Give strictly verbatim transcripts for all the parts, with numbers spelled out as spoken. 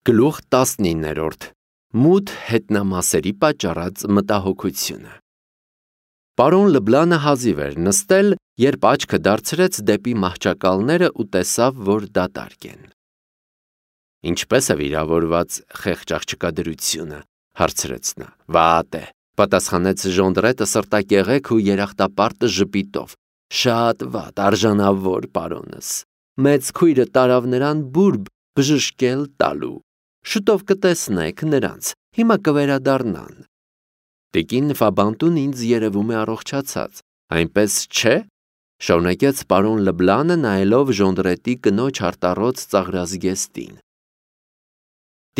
Գլուխ տասնիններորդ Մութ հետնամասերի պատճառած մտահոգությունը Պարոն Լբլանը հազիվ էր նստել, երբ աչքը դարձրեց դեպի մահճակալները ու տեսավ, որ դատարկ են։ Ինչպե՞ս է վիրավորված խեղճ աղջկա դրությունը, հարցրեց նա։ Վատ է, պատասխանեց Ժոնդրետը սրտակեղեք ու երախտապարտ ժպիտով։ Շատ վատ, արժանավոր պարոնս։ Մեծ քույրը տարավ նրան բուրբ բժշկել տալու։ Շուտով կտեսնեք նրանց, հիմա կվերադառնան։ Տիկին Ֆաբանտուն ինձ երևում է առողջացած, այնպես չէ, շարունակեց պարոն Լբլանը նայելով Ժոնդրետի կնոջ արտառոց ծաղրազգեստին։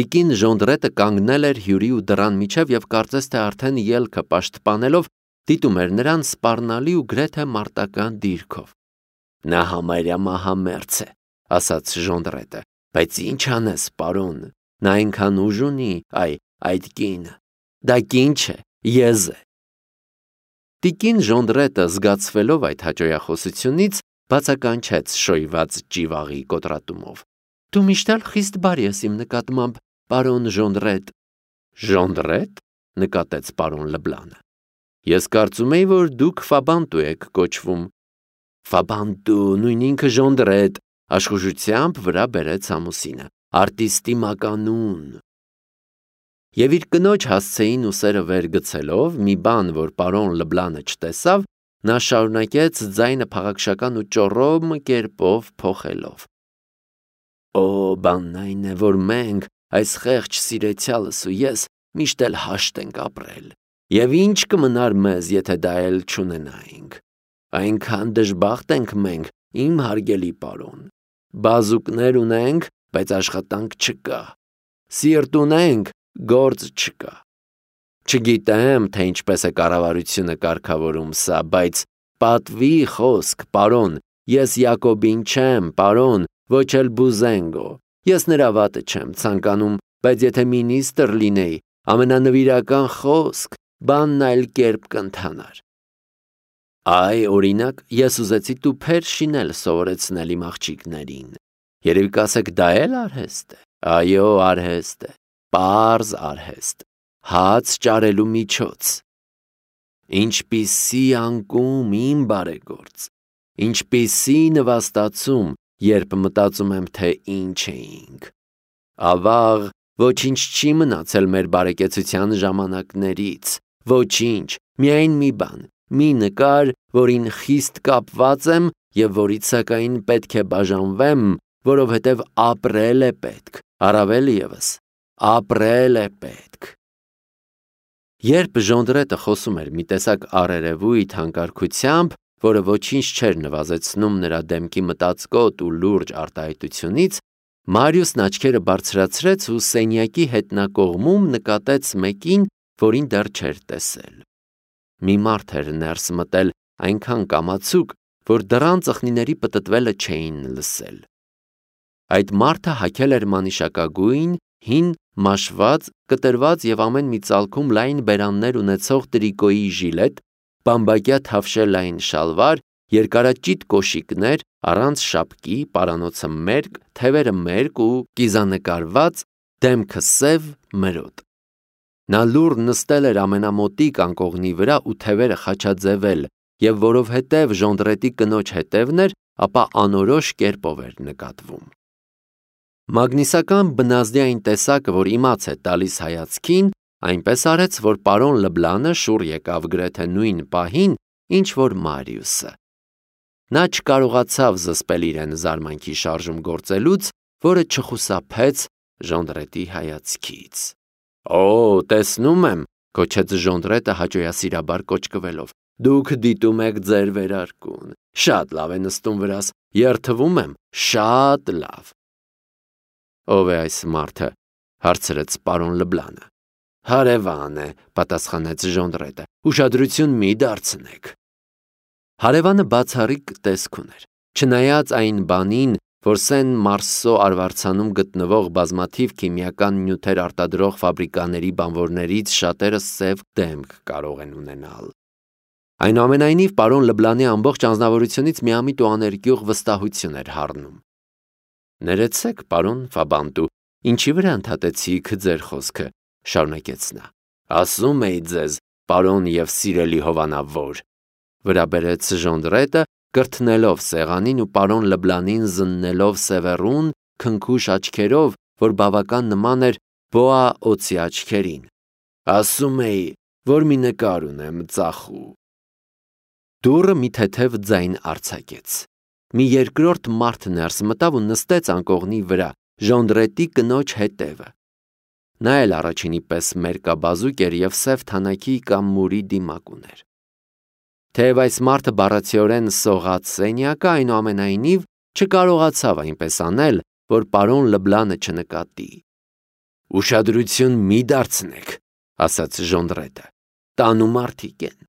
Տիկին Ժոնդրետը կանգնել էր հյուրի ու դռան միջև և կարծես թե արդեն ելքը պաշտպանելով դիտում էր նրան սպառնալի ու գրեթե մարտական դիրքով։ Նա համարյա մահամերձ է, ասաց Ժոնդրետը, բայց ինչ անես, պարոն, նա այնքան ուժ ունի, այ, այդ կինը, դա կին չէ, եզ է։ Տիկին Ժոնդրետը զգացվելով այդ հաճոյախոսությունից բացականչեց շոյված ճիվաղի կոտրատումով։ Դու միշտ էլ խիստ բարի ես իմ նկատմամբ, պարոն Ժոնդրետ։ Ժոնդրետ, նկատեց պարոն Լբլանը։ Ես կարծում էի, որ դուք Ֆաբանտու եք կոչվում։ Ֆաբանտու, նույն ինքը Ժոնդրետ, աշխուժությամբ վրա բերեց ամուսինը, արտիստի մականուն։ Եվ իր կնոջ հասցեին ուսերը վեր գցելով, մի բան, որ պարոն Լբլանը չտեսավ, նա շարունակեց ձայնը փաղաքշական ու ճոռոմ կերպով փոխելով։ Օ, բանն այն է, որ մենք, այս խեղճ սիրեցյալս ու ես, միշտ էլ հաշտ ենք ապրել, և ինչ կմնար մեզ, եթե դա էլ չունենայինք։ Այնքան դժբախտ ենք մենք, իմ հարգելի պարոն։ Բազուկներ ունենք, բայց աշխատանք չկա։ Սիրտ ունենք, գործ չկա։ Չգիտեմ, թե ինչպես է կառավարությունը կարգավորում սա, բայց պատվի խոսք, պարոն, ես Յակոբին չեմ, պարոն, ոչ էլ Բուզենգո, ես նրա վատը չեմ ցանկանում, բայց եթե մինիստր լինեի, ամենանվիրական խոսք, բանն այլ կերպ կընթանար։ Այ, օրինակ, ես ուզեցի տուփեր շինել սովորեցնել իմ աղջիկներին։ Երևի կասեք, դա էլ արհեստ է։ Այո, արհեստ է, պարզ արհեստ, հաց ճարելու միջոց։ Ինչպիսի անկում, իմ բարեգործ, ինչպիսի նվաստացում, երբ մտածում եմ, թե ինչ էինք։ Ավաղ, ոչինչ չի մնացել մեր բարեկեցության ժամանակներից, ոչինչ, միայն մի բան, մի նկար, որին խիստ կապված եմ և որից սակայն պետք է բաժանվեմ, որովհետև ապրել է պետք, առավել ևս, ապրել է պետք։ Երբ Ժոնդրետը խոսում էր մի տեսակ առերևույթ հանկարքությամբ, որը ոչինչ չէր նվազեցնում նրա դեմքի մտածկոտ ու լուրջ արտահայտությունից, Մարիուսն աչքերը բարձրացրեց ու սենյակի հետնակողմում նկատեց մեկին, որին դեռ չէր տեսել։ Մի մարդ էր ներս մտել այնքան կամացուկ, որ դռան ծխնիների պտտվելը չէին լսել։ Այդ մարդը հագել էր մանիշակագույն, հին, մաշված, կտրված և ամեն մի ծալքում լայն բերաններ ունեցող տրիկոյի ժիլետ, բամբակյա թավշե լայն շալվար, երկարաճիտ կոշիկներ, առանց շապկի, պարանոցը մերկ, թևերը մերկ ու կիզանկարված, դեմքը սև, մրոտ։ Նա լուռ նստել էր ամենամոտիկ անկողնի վրա ու թևերը խաչաձևել, և որովհետև Ժոնդրետի կնոջ հետևն էր, ապա անորոշ կերպով էր նկատվում։ Մագնիսական բնազդի այն տեսակը, որ իմաց է տալիս հայացքին, այնպես արեց, որ պարոն Լբլանը շուռ եկավ գրեթե նույն պահին, ինչ որ Մարիուսը։ Նա չկարողացավ զսպել իրեն զարմանքի շարժում գործելուց, որը չխուսափեց Ժոնդրետի հայացքից։ Օ, տեսնում եմ, կոչեց Ժոնդրետը հաճոյասիրաբար կոճկվելով, դուք դիտում եք ձեր վերարկուն, շատ լավ է նստում վրաս, երդվում եմ, շատ լավ։ Ով է այս մարդը, հարցրեց պարոն Լբլանը։ Հարևան է, պատասխանեց Ժոնդրետը, ուշադրություն մի դարձնեք։ Հարևանը բացառիկ տեսք ուներ, չնայած այն բանին, որ Սեն Մարսո արվարձանում գտնվող բազմաթիվ քիմիական նյութեր արտադրող ֆաբրիկաների բանվորներից շատերը սև դեմք կարող են ունենալ։ Այնուամենայնիվ պարոն Լբլանի ամբողջ անձնավորությունից միամիտ ու աներկյուղ վստահություն էր հառնում։ Ներեցեք, պարոն Ֆաբանտու, Ինչի վրա ընդհատեցիք ձեր խոսքը, շարունակեց նա։ Ասում էի ձեզ, պարոն եւ սիրելի հովանավոր, վրա բերեց Ժոնդրետը, կրթնելով սեղանին ու պարոն Լբլանին զննելով սևեռուն, քնքուշ աչքերով, որ բավական նման էր բոա օծի աչքերին։ Ասում էի, որ մի նկար ունեմ ծախու։ Դուռը մի թեթև ձայն արձակեց։ Մի երկրորդ մարդ ներս մտավ ու նստեց անկողնի վրա, Ժոնդրետի կնոջ հետևը։ Նա էլ առաջինի պես մերկաբազուկ էր և սև թանակի կամ մուրի դիմակ ուներ։ Թեև այս մարդը բառացիորեն սողաց սենյակը, այնուամենայնիվ չկարողացավ այնպես անել, որ պարոն Լբլանը չնկատի։ Ուշադրություն մի դարձնեք, ասաց Ժոնդրետը, տանու մարդիկ են։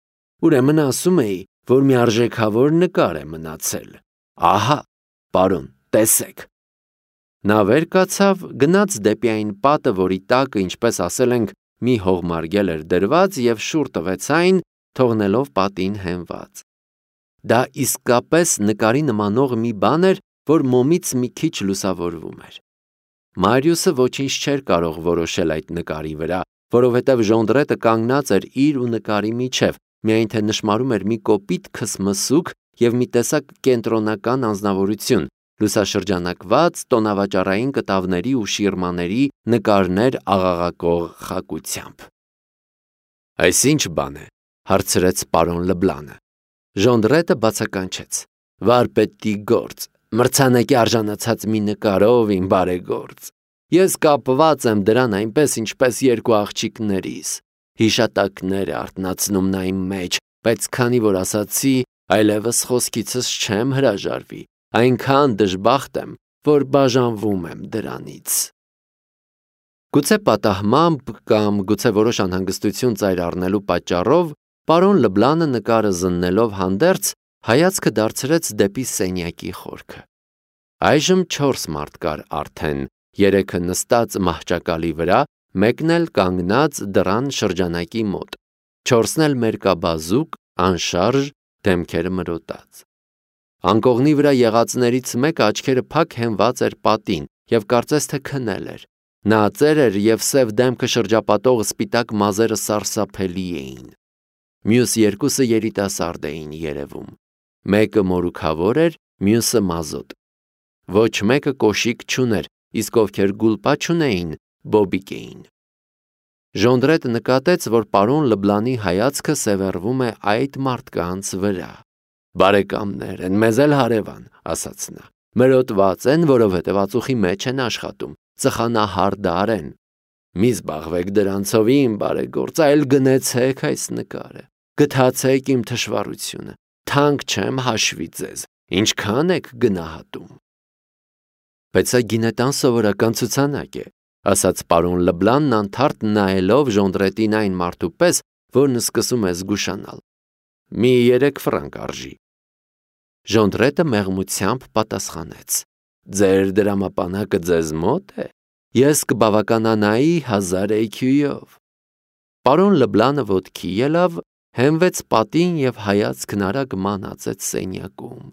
Ուրեմն ասում էի, որ մի արժեքավոր նկար է մնացել։ Ահա, պարոն, տեսեք։ Նա վեր կացավ, գնաց դեպի այն պատը, որի տակը, ինչպես ասել ենք, մի հողմարգել էր դրված և շուռ տվեց այն, թողնելով պատին հենված։ Դա իսկապես նկարի նմանող մի բան էր, որ մոմից մի քիչ լուսավորվում էր։ Մարիուսը ոչինչ չէր կարող որոշել այդ նկարի վրա, որովհետև Ժոնդրետը կանգնած էր իր ու նկարի միջև, միայն թե նշմարում էր մի կոպիտ քսմսուկ և մի տեսակ կենտրոնական անձնավորություն, լուսաշրջանակված տոնավաճառային կտավների ու շիրմաների նկարներ աղաղակող խակությամբ։ Այս ինչ բան է, հարցրեց պարոն Լբլանը։ Ժոնդրետը բացականչեց. Վարպետի գործ, մրցանակի արժանացած մի նկարով, իմ բարեգործ։ Ես կապված եմ դրան այնպես, ինչպես երկու աղջիկներիս։ Հիշատակներ է արթնացնում նա իմ մեջ, բայց քանի որ ասացի, այլևս խոսքիցս չեմ հրաժարվի, այնքան դժբախտ եմ, որ բաժանվում եմ դրանից։ Գուցե պատահմամբ կամ գուցե որոշ անհանգստություն ծայր առնելու պատճառով պարոն Լբլանը նկարը զննելով հանդերձ հայացքը դարձրեց դեպի սենյակի խորքը։ Այժմ չորս մարդ կար արդեն, երեքը նստած մահճակալի վրա, մեկն էլ կանգնած դռան շրջանակի մոտ, չորսն էլ մերկաբազուկ, անշարժ, դեմքերը մրոտած։ Անկողնի վրա եղածներից մեկը աչքերը փակ հենված էր պատին և կարծես թե քնել էր։ Նա ծեր էր և սև դեմքը շրջապատող սպիտակ մազերը սարսափելի էին։ Մյուս երկուսը երիտասարդ էին երևում։ Մեկը մորուքավոր էր, մյուսը մազոտ։ Ոչ մեկը կոշիկ չուներ, իսկ ովքեր գուլպա չունեին, բոբիկ էին։ Ժոնդրետը նկատեց, որ պարոն Լբլանի հայացքը սևեռվում է այդ մարդկանց վրա։ Բարեկամներ են, մեզ էլ հարևան, ասաց նա։ Մրոտված են, որովհետև ածուխի մեջ են աշխատում, ծխանահարդար են։ Մի զբաղվեք դրանցով, իմ բարեգործ, այլ գնեցեք այս նկարը, գթացեք իմ թշվառությունը, թանկ չեմ հաշվի ձեզ, ինչքան եք գնահատում։ Բայց սա գինետան սովորական ցուցանակ է, ասաց պարոն Լբլանն անթարթ նայելով Ժոնդրետին այն մարդու պես, որն սկսում է զգուշանալ։ Մի երեք ֆրանկ արժի։ Ժոնդրետը մեղմությամբ պատասխանեց. Ձեր դրամապանակը ձեզ մոտ է, ես կբավականանայի հազար էյքյուով։ Պարոն Լբլանը ոտքի ելավ, հենվեց պատին և հայացքն արագ մանածեց սենյակում։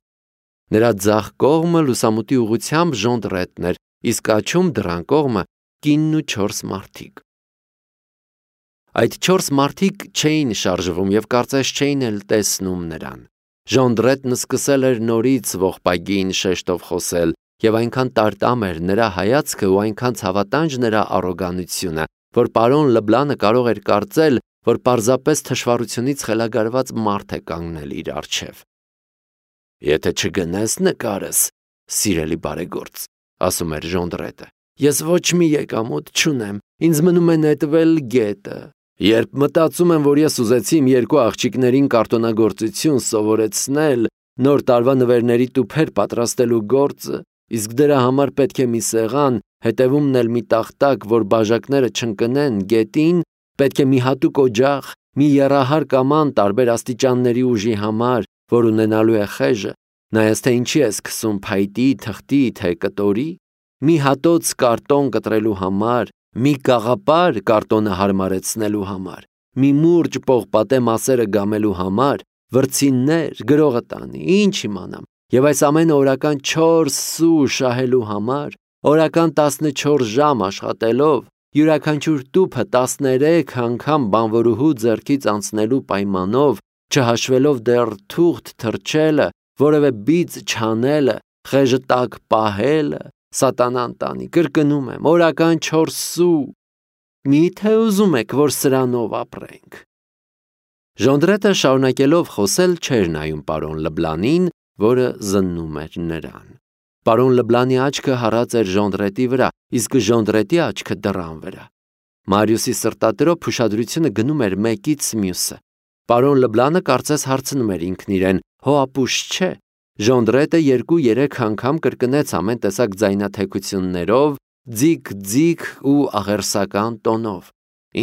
Նրա ձախ կողմը լուսամուտի ուղղությամբ Ժոնդրետն էր, իսկ աջում դռան կողմը կինն ու չորս մարդիկ։ Այդ չորս մարդիկ չէին շարժվում և կարծես չէին էլ տեսնում նրան։ Ժոնդրետն սկսել էր նորից ողբագին շեշտով խոսել, և այնքան տարտամ էր նրա հայացքը ու այնքան ցավատանջ նրա առոգանությունը, որ պարոն Լբլանը կարող էր կարծել, որ պարզապես թշվառությունից խելագարված մարդ է կանգնել իր առջև։ Եթե չգնես նկարս, սիրելի բարեգործ, ասում էր Ժոնդրետը, ես ոչ մի եկամուտ չունեմ, ինձ մնում է նետվել գետը։ Երբ մտածում եմ, որ ես ուզեցի իմ երկու աղջիկներին կարտոնագործություն սովորեցնել, նոր տարվա նվերների տուփեր պատրաստելու գործը, իսկ դրա համար պետք է մի սեղան, հետևումն էլ մի տախտակ, որ բաժակները չընկնեն գետին, պետք է մի հատուկ օջախ, մի եռահար կաման տարբեր աստիճանների ուժի համար, որ ունենալու է խեժը, նայած թե ինչի է սկսում փայտի, թղթի, թե կտորի, մի հատոց կարտոն կտրելու համար, մի կաղապար կարտոնը հարմարեցնելու համար, մի մուրճ պողպատե մասերը գամելու համար, վրձիններ, գրողը տանի, ինչ իմանամ, և այս ամենը օրական չորս սու շահելու համար, Օրական տասնչորս ժամ աշխատելով, յուրաքանչյուր տուփը տասներեք անգամ բանվորուհու ձեռքից անցնելու պայմանով, չհաշվելով դեռ թուղթ թրջելը, որևէ բիծ չանելը, խեժը տակ պահելը, սատանան տանի, կրկնում եմ, օրական չորս սու, միթե ուզում եք, որ սրանով ապրենք։ Ժոնդրետը շարունակելով խոսել չէր նայում պարոն Լբլանին, որը զննում էր նրան։ Պարոն Լբլանի աչքը հառած էր Ժոնդրետի վրա, իսկ Ժոնդրետի աչքը դռան վրա։ Մարիուսի սրտատրոփ ուշադրությունը գնում էր մեկից մյուսը։ Պարոն Լբլանը կարծես հարցնում էր ինքն իրեն. «Հո ապուշ չէ»։ Ժոնդրետը երկու-երեք անգամ կրկնեց ամեն տեսակ ձայնաթեքություններով, ձիգ-ձիգ ու աղերսական տոնով.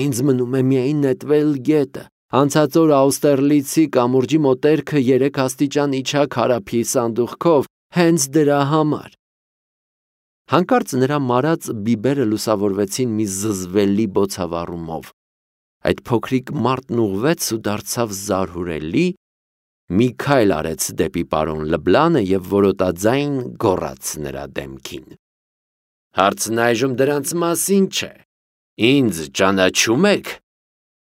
«Ինձ մնում է միայն նետվել գետը։ Անցած օր Աուստերլիցի կամուրջի մոտերքը երեք աստիճան իջա քարափի սանդուղքով, հենց դրա համար»։ Հանկարծ նրա մարած բիբերը լուսավորվեցին մի զզվելի բոցավառումով։ Այդ փոքրիկ մարդն ուղղվեց ու դարձավ զարհուրելի, մի քայլ արեց դեպի պարոն Լբլանը և որոտաձայն գոռաց նրա դեմքին. «Հարցն այժմ դրանց մասին չէ։ Ինձ ճանաչում եք,